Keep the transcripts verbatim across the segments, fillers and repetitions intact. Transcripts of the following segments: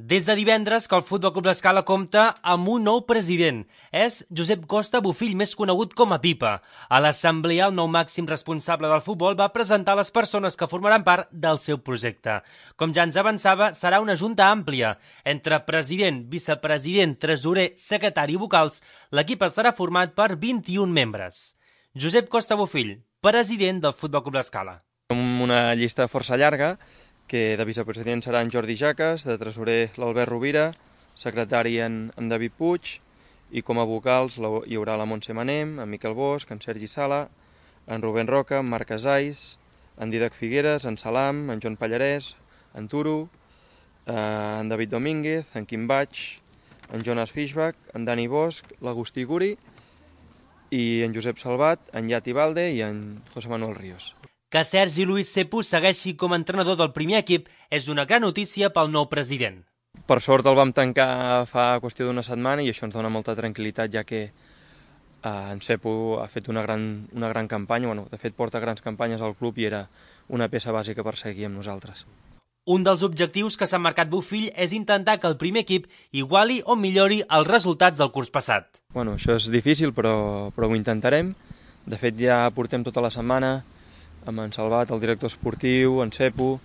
Des de divendres que el Futbol Club L'Escala compta amb un nou president. És Josep Costa Bofill, més conegut com a Pipa. A l'assemblea, el nou màxim responsable del futbol va presentar les persones que formaran part del seu projecte. Com ja ens avançava, serà una junta àmplia. Entre president, vicepresident, tresorer, secretari i vocals, l'equip estarà format per vint-i-un membres. Josep Costa Bofill, president del Futbol Club L'Escala. Una llista força llarga, que de vicepresident serà en Jordi Jaques, de tresorer l'Albert Rovira, secretari en, en David Puig, i com a vocals hi haurà la Montse Manem, en Miquel Bosch, en Sergi Sala, en Rubén Roca, en Marc Casais, en Didac Figueres, en Salam, en Joan Pallarès, en Turo, eh, en David Domínguez, en Quim Baig, en Jonas Fishbach, en Dani Bosch, l'Agustí Guri, i en Josep Salvat, en Yati Balde i en José Manuel Ríos. Que Sergi Luis Sepu segueixi com a entrenador del primer equip és una gran notícia pel nou president. Per sort el vam tancar fa qüestió d'una setmana i això ens dona molta tranquil·litat, ja que eh, en Sepu ha fet una gran, una gran campanya, bueno, de fet porta grans campanyes al club i era una peça bàsica per seguir amb nosaltres. Un dels objectius que s'ha marcat Bofill és intentar que el primer equip iguali o millori els resultats del curs passat. Bueno, això és difícil, però, però ho intentarem. De fet, ja portem tota la setmana amb en Salvat, el director esportiu, en Sepu,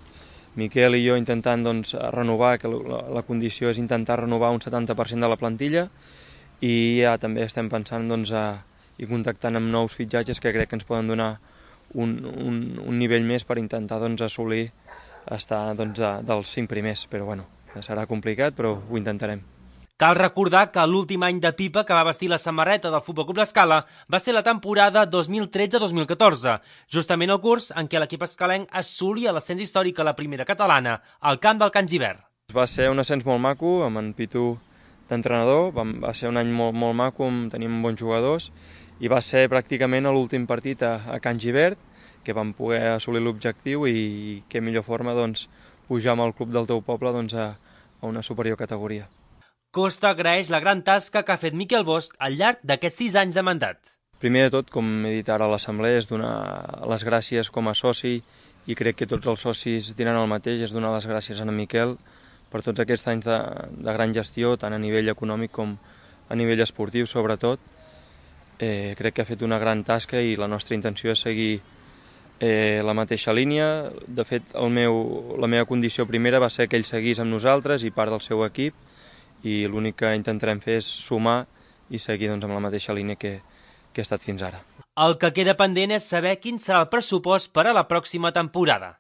Miquel i jo intentant doncs, renovar, que la, la condició és intentar renovar un setanta per cent de la plantilla, i ja també estem pensant doncs, a, i contactant amb nous fitxatges que crec que ens poden donar un, un, un nivell més per intentar doncs, assolir estar doncs, de, dels cinc primers, però bueno, serà complicat, però ho intentarem. Cal recordar que l'últim any de Pipa que va vestir la samarreta del Futbol Club L'Escala va ser la temporada dos mil tretze dos mil catorze, justament el curs en què l'equip escalenc assolia l'ascens històric a la primera catalana, al camp del Can Gibert. Va ser un ascens molt maco, amb en Pitu d'entrenador, va ser un any molt, molt maco, teníem bons jugadors, i va ser pràcticament l'últim partit a, a Can Gibert, que vam poder assolir l'objectiu, i què millor forma doncs, pujar amb el club del teu poble doncs, a, a una superior categoria. Costa agraeix la gran tasca que ha fet Miquel Bosch al llarg d'aquests sis anys de mandat. Primer de tot, com he dit ara a l'assemblea, és donar les gràcies com a soci, i crec que tots els socis diran el mateix, és donar les gràcies a en Miquel per tots aquests anys de, de gran gestió, tant a nivell econòmic com a nivell esportiu, sobretot. Eh, crec que ha fet una gran tasca i la nostra intenció és seguir eh, la mateixa línia. De fet, el meu, la meva condició primera va ser que ell seguís amb nosaltres i part del seu equip, i l'únic que intentarem fer és sumar i seguir doncs, amb la mateixa línia que, que he estat fins ara. El que queda pendent és saber quin serà el pressupost per a la pròxima temporada.